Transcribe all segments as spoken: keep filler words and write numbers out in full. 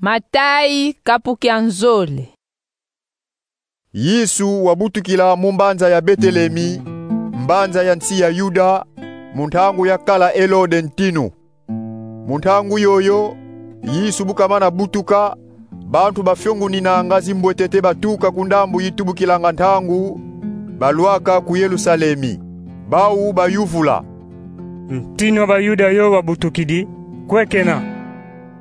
Matayi, kapu kia nzole. Yesu wabutukila mu mbanza ya Betelemi, mbanza ya nsi ya Yuda, mu ntangu yakala Elode ntinu. Mu ntangu yoyo, Yesu bu kamana butuka, bantu bafionguninanga zimbwetete batuka ku ndambu yitubukilanga ntangu, balwaka ku Yerusalemi. Bau bayuvula: Ntinu wa Bayuda yo wabutukidi, kwe kena?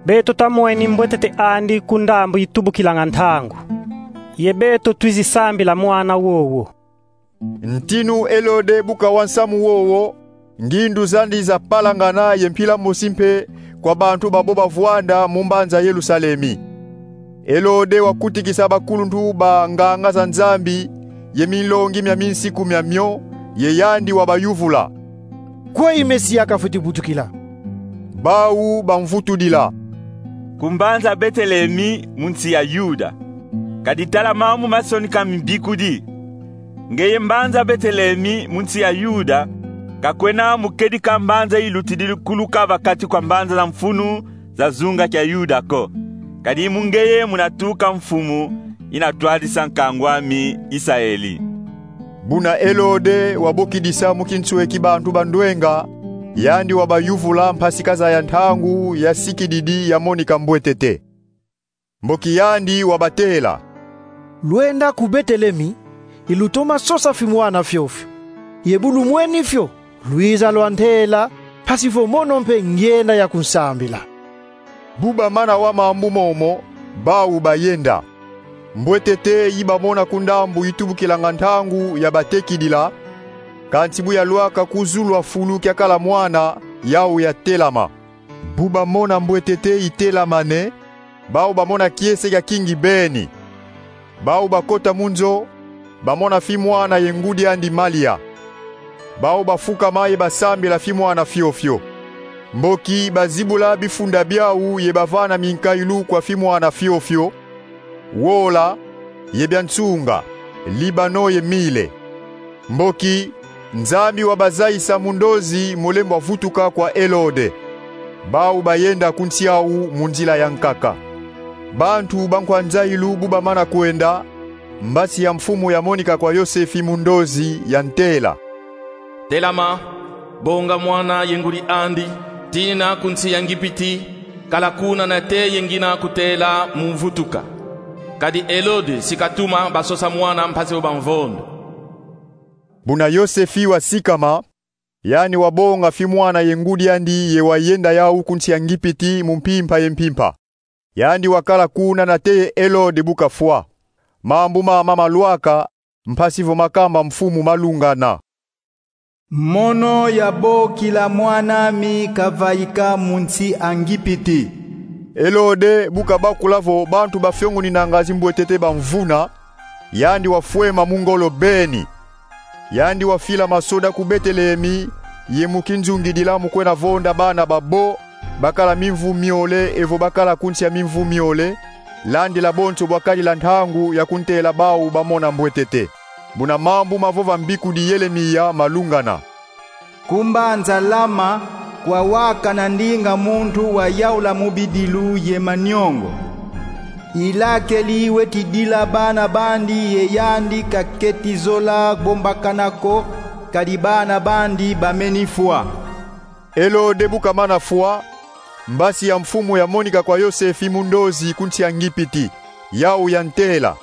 Beto tamweni mbwetete andi ku ndambu yitubukilanga ntangu. Ye beto twizi sambila mwana wowo. Ntinu Elode bu kawa nsamu wowo, ngindu zandi zapalangana ye mpila mosi mpe kwa bantu babo bavwanda mu mbanza Yerusalemi. Elode wakutikisa bakuluntu ba nganga za Nzambi ye minlongi mia minsiku miamio, ye yandi wabayuvula: Kweyi Mesia kafweti butukila? Bau bamvutudila: Ku mbanza Betelemi mu nsi ya Yuda. Kadi tala mambu masonika mu mbikudi: Ngeye mbanza Betelemi mu nsi ya Yuda, ka kwena mu kedika mbanza yilutidi kuluka va kati kwa mbanza za mfunu za zunga kia Yuda ko, kadi mu ngeye muna tuka mfumu yina twadisa nkangu ami Isaeli. Buna Elode wabokidisa mu kinsweki bantu ba ndwenga, yandi wabayuvula mpasi kazaya ntangu yasikididi ya monika mbwetete. Mboki yandi wabatela: Lwenda ku Betelemi, ye lutoma sosa fimwana fiofio. Ye bu lumweni fio, lwiza lwantela, mpasi vo mono mpe ngyenda ya kunsambila. Bu bamana wa mambu momo, bau bayenda. Mbwetete yi bamona ku ndambu yitubukilanga ntangu yabatekidila, kansi bu yalwaka ku zulu a fulu kiakala mwana, yau yatelama. Bu bamona mbwetete yitelamane, bau bamona kiese kiakingi beni. Bau bakota mu nzo, bamona fimwana ye ngudi andi Malia. Bau bafukama ye basambila fimwana fiofio. Mboki bazibula bifunda biau ye bavana minkayulu kwa fimwana fiofio: wola, ye bia nsunga, libano ye mile. Mboki Nzambi wabazayisa mu ndozi mu lembo a vutuka kwa Elode. Bau bayenda ku nsi au mu nzila ya nkaka. Bantu bankwa nzayilu bu bamana kwenda, mbasi ya mfumu yamonika kwa Yosefi mu ndozi, yantela: Telama, bonga mwana ye ngudi andi, tina ku nsi ya Ngipiti, kala kuna nate ye ngina kutela mu vutuka. Kadi Elode si katuma basosa mwana mpasi vo bamvondo. Buna Yosefi wasikama, yandi wabonga fimwana ye ngudi andi ye wayenda yau ku nsi ya Ngipiti mu mpimpa ye mpimpa. Yandi wakala kuna nate ye Elode bu kafwa. Mambu mama malwaka, mpasi vo makamba mfumu malungana. Mono yabokila mwan'ami kavaika mu nsi a Ngipiti. Elode bu kabakula vo bantu bafionguninanga zimbwetete bamvuna, yandi wafwema mu ngolo beni. Yandi wafila masoda ku Betelemi ye mu kinzungidila mu kwenda vonda bana babo bakala mimvu miole evo bakala ku nsi a mimvu miole, landila bonso bwakadila ntangu ya kuntela bau bamona mbwetete. Buna mambu mavova mbikudi Yelemiya malungana: Ku mbanza Lama, kwawakana ndinga muntu wayaula mu bidilu ye maniongo. Ilakeli weti dila bana bandi ye yandi kaketi zola bombakana ko, kadi bana bandi bameni fwa. Elode bu kamana fwa, mbasi ya mfumu yamonika kwa Yosefi mu ndozi ku nsi ya Ngipiti. Yau yantela: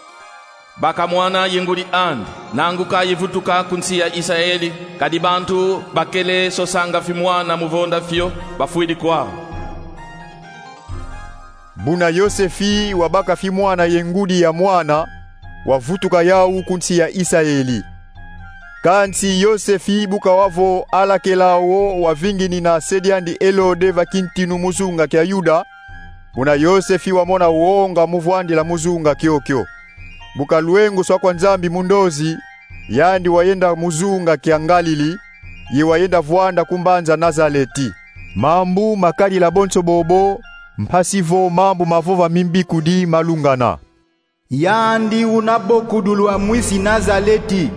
Baka mwana ye ngudi andi, nanguka ye vutuka ku nsi ya Isaeli, kadi bantu bakele sosanga fimwana mu vonda fio, bafwidi kwau. Buna Yosefi wabaka fimwana ye ngudi ya mwana, wavutuka yau ku nsi ya Isaeli. Kansi Yosefi bu kawa vo alakela wo wavinginina se diandi Elode va kintinu mu zunga kia Yuda, buna Yosefi wamona wonga mu vwandila mu zunga kiokio. Bu kalwenguswa kwa Nzambi mu ndozi, yandi wayenda mu zunga kia Ngalili, ye wayenda vwanda ku mbanza Nazaleti. Mambu makadila bonso bobo, mpasi vo mambu mavova mu mbikudi malungana: Yandi una bokudulwa mwisi Nazaleti,